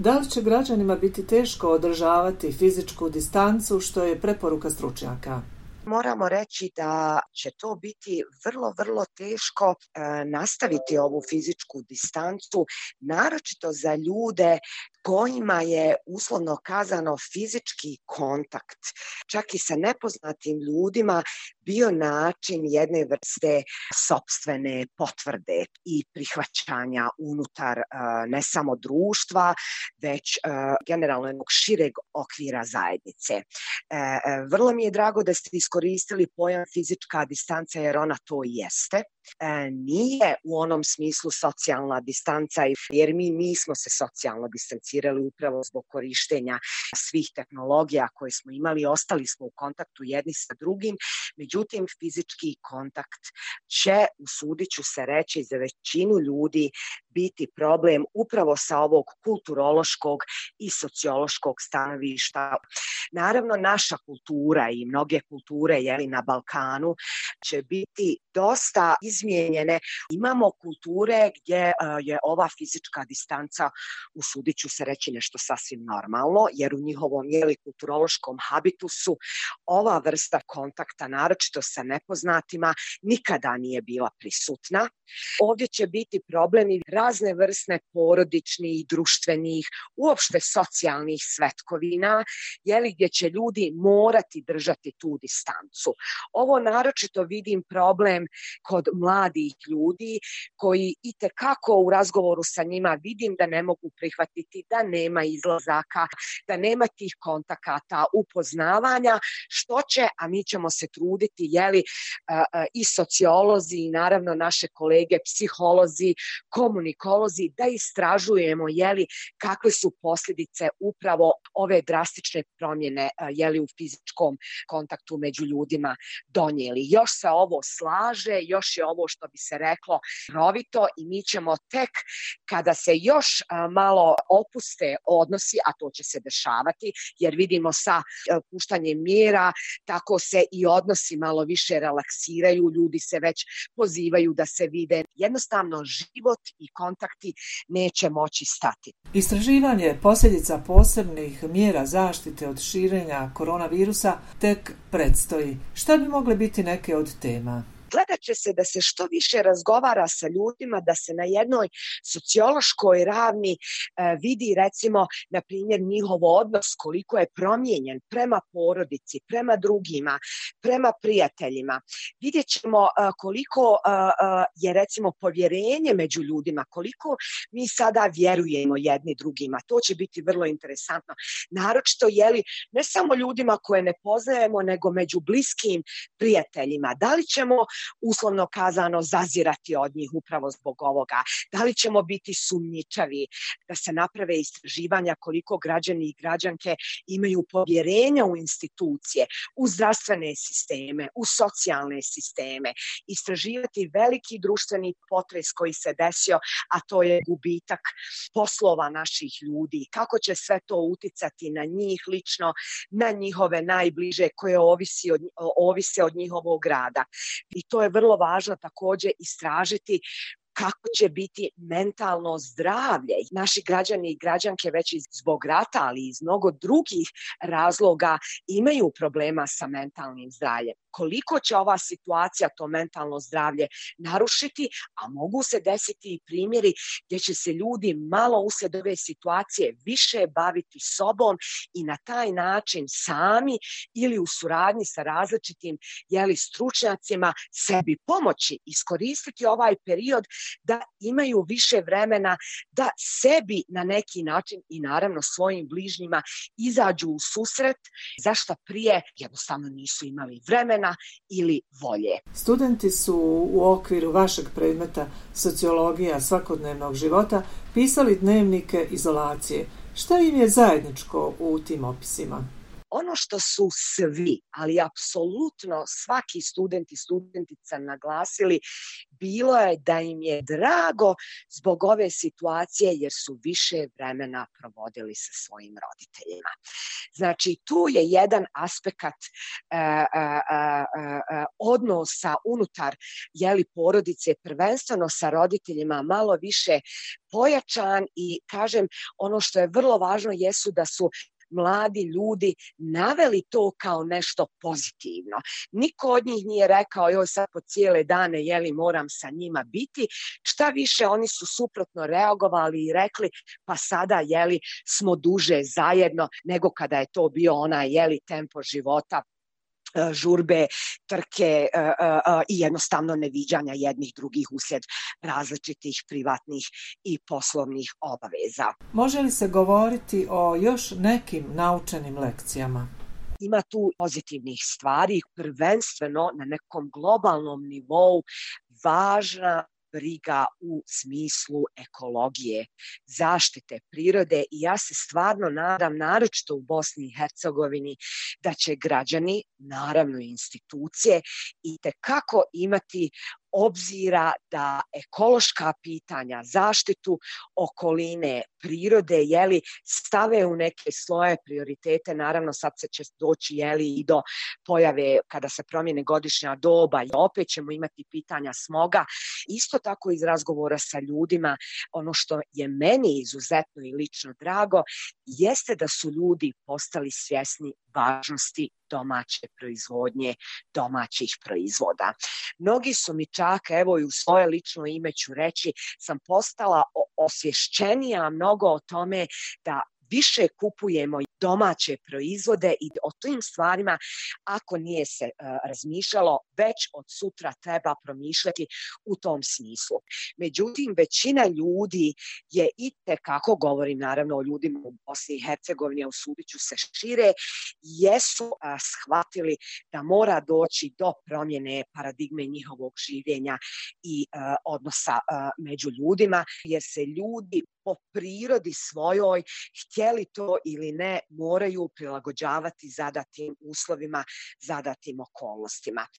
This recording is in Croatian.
Da li će građanima biti teško održavati fizičku distancu, što je preporuka stručnjaka? Moramo reći da će to biti vrlo teško nastaviti ovu fizičku distancu, naročito za ljude kojima je uslovno kazano fizički kontakt, čak i sa nepoznatim ljudima, bio način jedne vrste sopstvene potvrde i prihvaćanja unutar ne samo društva, već generalno jednog šireg okvira zajednice. Vrlo mi je drago da ste iskoristili pojam fizička distanca, jer ona to i jeste. Nije u onom smislu socijalna distanca, jer mi nismo se socijalno distancirali upravo zbog korištenja svih tehnologija koje smo imali, ostali smo u kontaktu jedni sa drugim, međutim fizički kontakt će, usudit ću se reći, za većinu ljudi biti problem upravo sa ovog kulturološkog i sociološkog stanovišta. Naravno, naša kultura i mnoge kulture na Balkanu će biti dosta izmijenjene. Imamo kulture gdje je ova fizička distanca, usudit ću se reći, nešto sasvim normalno, jer u njihovom kulturološkom habitusu ova vrsta kontakta, naročito sa nepoznatima, nikada nije bila prisutna. Ovdje će biti problemi razne vrste porodičnih, društvenih, uopšte socijalnih svetkovina, gdje će ljudi morati držati tu distancu. Ovo naročito vidim problem kod mladih ljudi koji itekako u razgovoru sa njima vidim da ne mogu prihvatiti da nema izlazaka, da nema tih kontakata, upoznavanja, što će, a mi ćemo se truditi, i sociolozi i naravno naše kolege, psiholozi, komunikolozi, da istražujemo kakve su posljedice upravo ove drastične promjene u fizičkom kontaktu među ljudima donijeli. Još se ovo slaže, još je ovo, što bi se reklo, rovito, i mi ćemo tek kada se još malo opuste odnosi, a to će se dešavati, jer vidimo sa puštanjem mjera tako se i odnosi malo više relaksiraju, ljudi se već pozivaju da se vide. Jednostavno život i kontakti neće moći stati. Istraživanje posljedica posebnih mjera zaštite od širenja koronavirusa tek predstoji. Šta bi mogle biti neke od tema? Gledat će se da se što više razgovara sa ljudima, da se na jednoj sociološkoj ravni vidi, recimo, na primjer, njihov odnos koliko je promijenjen prema porodici, prema drugima, prema prijateljima. Vidjet ćemo koliko je, recimo, povjerenje među ljudima, koliko mi sada vjerujemo jedni drugima. To će biti vrlo interesantno. Naročito, ne samo ljudima koje ne poznajemo, nego među bliskim prijateljima. Da li ćemo uslovno kazano zazirati od njih upravo zbog ovoga? Da li ćemo biti sumnjičavi, da se naprave istraživanja koliko građani i građanke imaju povjerenja u institucije, u zdravstvene sisteme, u socijalne sisteme, istraživati veliki društveni potres koji se desio, a to je gubitak poslova naših ljudi, kako će sve to uticati na njih lično, na njihove najbliže koje ovise od njihovog rada. I to je vrlo važno također istražiti kako će biti mentalno zdravlje. Naši građani i građanke već zbog rata, ali i iz mnogo drugih razloga imaju problema sa mentalnim zdravljem. Koliko će ova situacija to mentalno zdravlje narušiti, a mogu se desiti i primjeri gdje će se ljudi malo uslijed ove situacije više baviti sobom i na taj način sami ili u suradnji sa različitim stručnjacima sebi pomoći, iskoristiti ovaj period da imaju više vremena da sebi na neki način i naravno svojim bližnjima izađu u susret, zašto prije jednostavno nisu imali vremena ili volje. Studenti su u okviru vašeg predmeta sociologija svakodnevnog života pisali dnevnike izolacije. Šta im je zajedničko u tim opisima? ono što su svi, ali apsolutno svaki student i studentica naglasili, bilo je da im je drago zbog ove situacije jer su više vremena provodili sa svojim roditeljima. Znači, tu je jedan aspekt odnosa unutar porodice, prvenstveno sa roditeljima, malo više pojačan i kažem, ono što je vrlo važno jesu da su mladi ljudi naveli to kao nešto pozitivno. Niko od njih nije rekao joj sad po cijele dane moram sa njima biti. Šta više, oni su suprotno reagovali i rekli pa sada smo duže zajedno nego kada je to bio onaj tempo života, žurbe, trke i jednostavno neviđanja jednih drugih uslijed različitih privatnih i poslovnih obaveza. Može li se govoriti o još nekim naučenim lekcijama? Ima tu pozitivnih stvari, prvenstveno na nekom globalnom nivou važna briga u smislu ekologije, zaštite prirode i ja se stvarno nadam, naročito u Bosni i Hercegovini, da će građani, naravno i institucije, itekako imati obzira da ekološka pitanja, zaštitu okoline, prirode, stave u neke svoje prioritete. Naravno, sad se će doći i do pojave kada se promijene godišnja doba i opet ćemo imati pitanja smoga. Isto tako iz razgovora sa ljudima, ono što je meni izuzetno i lično drago, jeste da su ljudi postali svjesni važnosti domaće proizvodnje, domaćih proizvoda. Mnogi su mi čak, evo i u svoje lično ime ću reći, sam postala osvješćenija mnogo o tome da više kupujemo domaće proizvode i o tim stvarima, ako nije se razmišljalo, već od sutra treba promišljati u tom smislu. Međutim, većina ljudi je itekako, govorim naravno o ljudima u Bosni i Hercegovini, a usudit ću se šire, jesu shvatili da mora doći do promjene paradigme njihovog življenja i odnosa među ljudima, jer se ljudi po prirodi svojoj, htjeli to ili ne, moraju prilagođavati zadatim uslovima, zadatim okolnostima.